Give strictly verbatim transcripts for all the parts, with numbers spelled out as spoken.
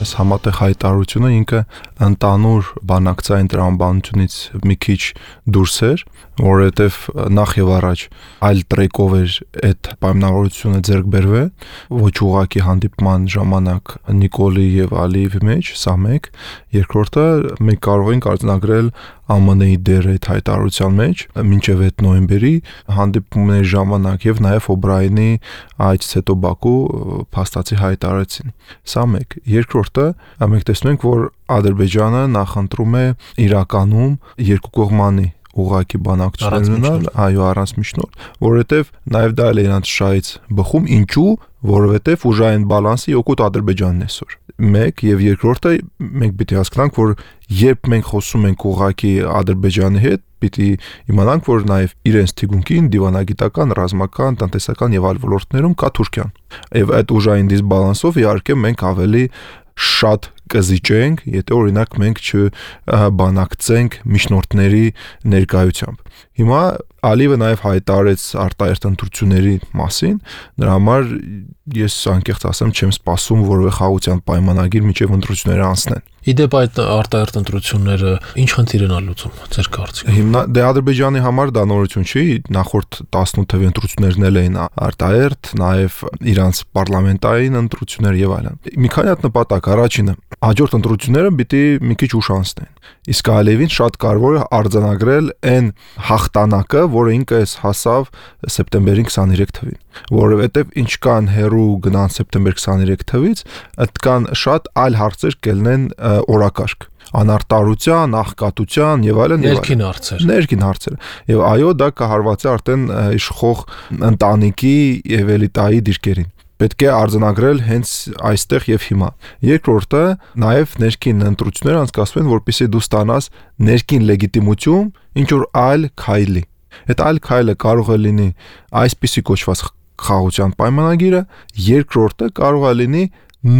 այս համատեղ հայտարարությունը ինքը ընդանուր բանակցային տրամաբանությունից մի քիչ դուրս էր, որովհետև նախ եւ առաջ այլ տրեկով էր այդ պայմանավորությունը ձեռք բերվել, ոչ ուղղակի հանդիպման ժամանակ Նիկոլի եւ Ալիևի մեջ, սա մեկ, երկրորդը մենք կարող ենք արձանագրել Է Մ Ն-ի դերը այդ հայտարարության մեջ մինչև այդ նոյեմբերի հանդիպումների ժամանակ եւ նաեւ Օբրայենի այցից հետո Բաքու փաստացի հայտարարեցին։ Սա մեկ, երկրորդը մենք տեսնում ենք, որ Ադրբեջանը նախընտրում է իրականում երկկողմանի ուղղակի բանակցություններ ունենալ, այո, առանց միջնորդ, որովհետև նաև դա էլ է իրանց շահից բխում, ինչու, որովհետև ուժային բալանսի օգուտ Ադրբեջանն է այսօր։ Մեկ եւ երկրորդը մենք պիտի հասկանանք, որ երբ մենք խոսում ենք ուղղակի Ադրբեջանի հետ, պիտի իմանանք, որ նաև իրենց թիկունքին դիվանագիտական, ռազմական, տնտեսական եւ այլ ոլորտներում կա Թուրքիան։ Եվ այդ ուժային դիսբալանսով իհարկե մենք ավելի շատ կզիջենք, եթե օրինակ մենք չբանակցենք միջնորդների ներկայությամբ։ Հիմա Ալիևը նաև հայտարարեց արտահերթ ընտրությունների մասին, նրա համար ես անկեղծ ասեմ չեմ սպասում որևէ խաղաղության պայմանագիր միջև ընտրությունները անցնեն։ Իդեպ այդ արտահերթ ընտրությունները ինչ խնդիր են լուծում ձեր կարծիքով։ Հիմա դե Ադրբեջանի համար դա նորություն չի, նախորդ տասնութ թվականի ընտրություններն էլ էին արտահերթ, նաև իրանց պարլամենտային ընտրություններ եւ այլն։ Մի քանի հատ նպատակ, առաջինը հաջորդ ընտրությունները պիտի մի քիչ ուշ անցնեն։ Իսկ Ալիևին շատ կարևոր է արձանագրել այն հաղթանակը, որը ինքը էս հասավ սեպտեմբերի քսաներեք թվին, որովհետև ինչքան հեռու գնան սեպտեմբեր քսաներեք թվից, այդքան շատ այլ հարցեր կլինեն օրակարգ անարտարության, աղքատության եւ այլն եւ ներքին հարցեր։ Ներքին հարցեր։ Եվ այո, դա կհարվածի արդեն իշխող ընտանիքի եւ էլիտայի դիրքերին։ Պետք է արձանագրել հենց այստեղ եւ հիմա։ Երկրորդը նաեւ ներքին ընտրություններ անցկացվեն, որպեսզի դու ստանաս ներքին լեգիտիմություն ինչ որ այլ քայլի։ Այդ այլ քայլը կարող է լինի այսպիսի կոչված խաղաղության պայմանագիրը, երկրորդը կարող է լինի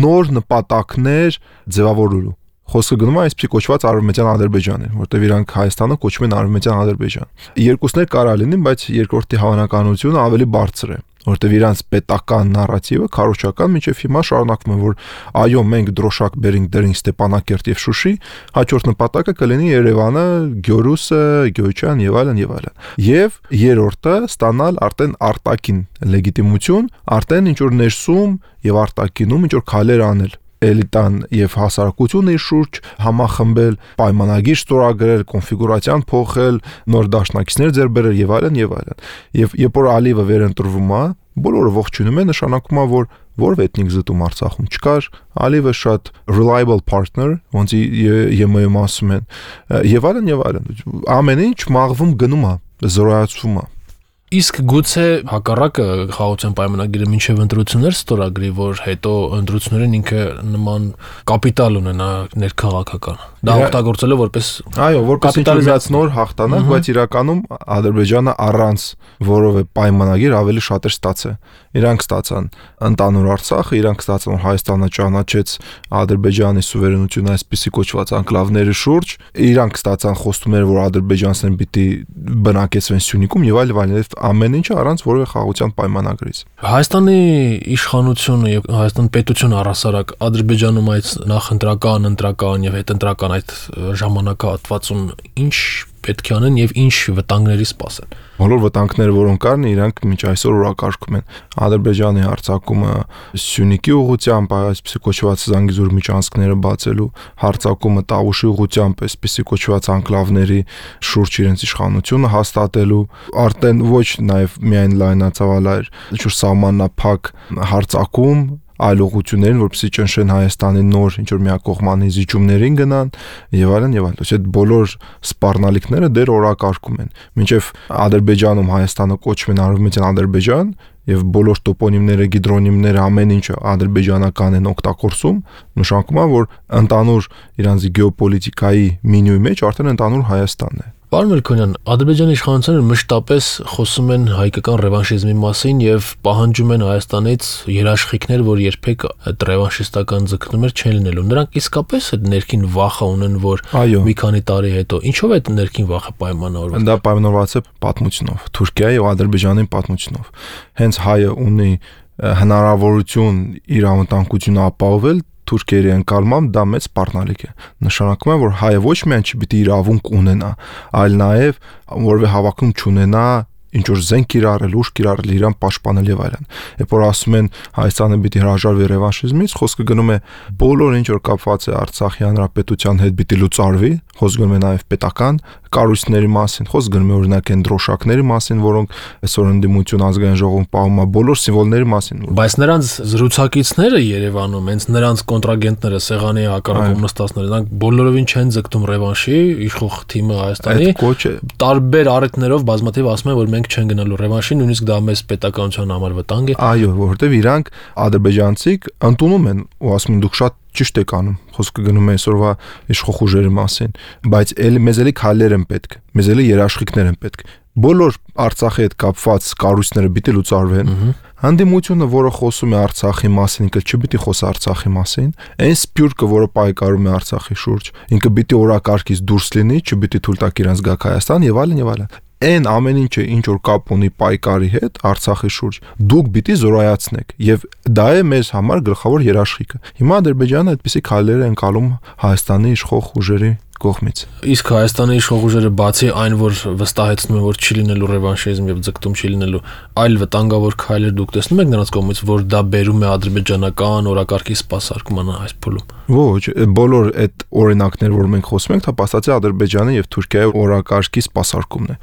նոր նպատակներ ձևավորելու։ Խոսքը գնում է այսպիսի կոչված Արևմտյան Ադրբեջանը, որտեղ իրանք Հայաստանը կոչում են Արևմտյան Ադրբեջան։ Երկուսներ կարա լինի, բայց երկրորդի հավանականությունը ավելի բարձր է, որտեղ իրանց պետական նարատիվը քարոզչական միջև հիմա շարունակվում է, որ այո, մենք դրոշակ բերենք դրենք Ստեփանակերտ եւ Շուշի, հաջորդ նպատակը կլինի Երևանը, Գյորուսը, Գյոյչան եւ այլն եւ այլն։ Եվ երրորդը ստանալ արդեն արտաքին լեգիտիմություն, արդեն ինչ որ ներսում եւ արտաքինում ինչ որ քայլեր անել էլիտան եւ հասարակությունը իր շուրջ համախմբել, պայմանագիր ստորագրել, կոնֆիգուրացիան փոխել, նոր դաշնակիցներ ձեռք բերել եւ այլն եւ այլն։ Եվ երբ որ Ալիևը վերընտրվում է, բոլորը ողջունում են, նշանակում է, որ որև էթնիկ զտում Արցախում չկար, Ալիևը շատ reliable partner, ոնց Ե Մ Ը-ում ասում են, եւ այլն եւ այլն։ Ամեն ինչ մաղվում գնում է, զորացվում է։ Իսկ գուցե հակառակը խաղաղության պայմանագիրը մինչև ընտրություններ ստորագրի, որ հետո ընտրություններին ինքը նման կապիտալ ունենա ներքաղաքական։ Դա օգտագործելով որպես այո, որպես ինչ-որ նոր հաղթանակ, բայց իրականում Ադրբեջանը առանց որևէ պայմանագիր ավելի շատ էր ստացել։ Իրանք ստացան ընդանուր Արցախը, իրանք ստացան Հայաստանը ճանաչեց Ադրբեջանի սուվերենությունը այսպիսի կոչված անկլավների շուրջ, իրանք ստացան խոստումներ, որ ադրբեջանցիներն պիտի բնակեցվեն Սյունիքում եւ այլ այլ ամեն ինչը առանց որևէ խաղաղության պայմանագրից։ Հայաստանի իշխանությունը եւ Հայաստան պետությունը առհասարակ Ադրբեջանում այդ նախընտրական, ընտրական եւ հետընտրական այդ ժամանակահատվածում ինչ պետք է անեն եւ ինչ վտանգների սպասեն։ Բոլոր վտանգները, որոնք կան, իրանք մինչ այսօր օրակարգում են։ Ադրբեջանի հարձակումը Սյունիքի ուղղությամբ, այսպիսի կոչված Զանգիզուր միջանցքները բացելու, հարձակումը Տավուշի ուղղությամբ, այսպիսի կոչված անկլավների շուրջ իրենց իշխանությունը հաստատելու, արդեն ոչ նաեւ միայն լայնածավալ, ինչ-որ սահմանափակ հարձակում այլ ուղղություններին, որպեսզի ճնշեն Հայաստանի նոր ինչ որ միակողմանի զիջումներին գնան եւ այլն եւ այլն։ Այդ բոլոր սպառնալիքները դեռ օրակարգում են։ Մինչեւ Ադրբեջանում Հայաստանը կոչվում է Արևմտյան Ադրբեջան եւ բոլոր տոպոնիմները, գիդրոնիմները ամեն ինչը ադրբեջանական են օգտագործում, նշանակում է, որ ընդանուր իրանց գեոպոլիտիկայի մենյուի մեջ արդեն ընդանուր Հայաստանն է։ Պարոն Մելքոնյան, Ադրբեջանի իշխանությունները մշտապես խոսում են հայկական ռևանշիզմի մասին եւ պահանջում են Հայաստանից երաշխիքներ, որ երբեք այդ ռևանշիստական ձգտումներ չեն լինելու։ Նրանք իսկապես այդ ներքին վախը ունեն, որ մի քանի տարի հետո ինչով է այդ ներքին վախը պայմանավորված։ Դա պայմանավորված է պատմությունով, Թուրքիայի եւ Ադրբեջանի պատմությունով։ Հենց հայը ունի հնարավորություն իր անվտանգությունը ապահովել թուրքերի ընկալմամբ դա մեծ սպառնալիք է։ Նշանակում է, որ հայը ոչ միայն չպիտի իրավունք ունենա, այլ նաև որևէ հավակնում չունենա ինչ որ զենք կիրառել, ուժ կիրառել, իրան պաշտպանել եւ այլն։ Երբ որ ասում են Հայաստանը պիտի հրաժարվի ռևանշիզմից, խոսքը գնում է բոլոր ինչ որ կապված է Արցախի հանրապետության հետ պիտի լուծարվի, խոսքը գնում է նաեւ պետական կառույցների մասին, խոսքը գնում է օրինակ այն դրոշակների մասին, որոնք այսօր ընդդիմություն ազգային ժողովում պահում է, բոլոր սիմվոլների մասին։ Բայց նրանց զրուցակիցները Երևանում, հենց նրանց կոնտրագենտները, սեղանի հակառակում նստածները, նրանք բոլորովին չեն ձգտում ռևանշի, իշխող թիմը Հայաստանի տարբեր առիթներով բազմաթիվ ասում են, որ մենք չեն գնալու ռևանշի, նույնիսկ դա մեծ պետականության համար վտանգ է։ Այո, որովհետև իրանք ադրբեջանցիք ընդունում են ու ասում են դուք շատ ճիշտ եք անում, խոսքը գնում է այսօրվա իշխող ուժերի մասին, բայց էլի մեզ էլի քայլեր են պետք, մեզ էլի երաշխիքներ են պետք։ Բոլոր Արցախի հետ կապված կառույցները պիտի լուծարվեն։ Հանդիմությունը, որը խոսում է Արցախի մասին, ինքը չպիտի խոսի Արցախի մասին, այն սփյուռքը, որը պայքարում է Արցախի շուրջ, ինքը պիտի օրակարգից դուրս լինի, չպիտի թույլ տա իրանց գա Հայաստան եւ այլն եւ այլն։ Այն ամեն ինչը ինչ որ կապ ունի պայքարի հետ Արցախի շուրջ, դուք պիտի զորայացնեք եւ դա է մեզ համար գլխավոր երաշխիքը։ Հիմա Ադրբեջանը այդպիսի քայլեր է անցալում Հայաստանի իշխող ուժերի կողմից։ Իսկ Հայաստանի իշխող ուժերը բացի այն, որ վստահեցնում են, որ չի լինելու ռևանշիզմ եւ ձգտում չի լինելու, այլ վտանգավոր քայլեր դուք տեսնում եք նրանց կողմից, որ դա բերում է ադրբեջանական օրակարգի սպասարկման այս փուլում։ Ոչ, բոլոր այդ օրինակներ, որ մենք խոսում ենք, դա փաստացի Ադրբեջանի եւ Թուրքիայի օրակարգի սպասարկումն է,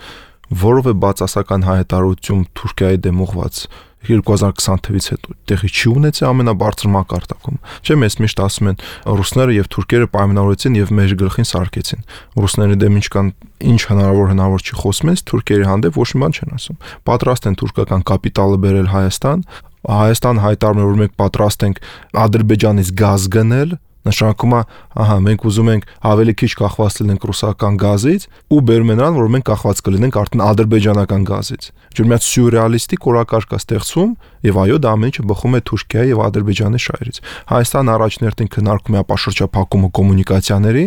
որով է բացասական հայտարարություն Թուրքիայի դեմ ուղված երկու հազար քսան թվականից հետո տեղի չի ունեցել ամենաբարձր մակարդակում։ Չէ՞ մեզ միշտ ասում են ռուսները եւ թուրքերը պայմանավորեցին եւ մեր գլխին սարքեցին։ Ռուսների դեմ ինչ կան, ինչ հնարավոր հնարավոր չի խոսում, թուրքերի հանդեպ ոչ մի բան չեն ասում։ Պատրաստ են թուրքական կապիտալը բերել Հայաստան, Հայաստան հայտարարում է, որ մենք պատրաստ ենք Ադրբեջանից գազ գնել, նշանակում է, ահա, մենք ուզում ենք ավելի քիչ կախված լինենք ռուսական գազից ու բերում են նրան, որ մենք կախված կլինենք արդեն ադրբեջանական գազից։ Ջուր մի հատ սյուրռեալիստիկ օրակարգ է ստեղծում եւ այո, դա ամեն ինչը բխում է Թուրքիայի եւ Ադրբեջանի շահերից։ Հայաստանը առաջներտին քննարկում է ապաշրջափակումը կոմունիկացիաների,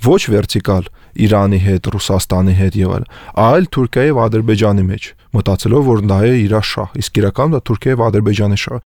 ոչ վերտիկալ Իրանի հետ, Ռուսաստանի հետ եւ այլն, այլ Թուրքիայի եւ Ադրբեջանի մեջ, մտածելով որ դա է իր շահ, իսկ իրականում դա Թուրքիայի եւ Ադրբեջանի շահ։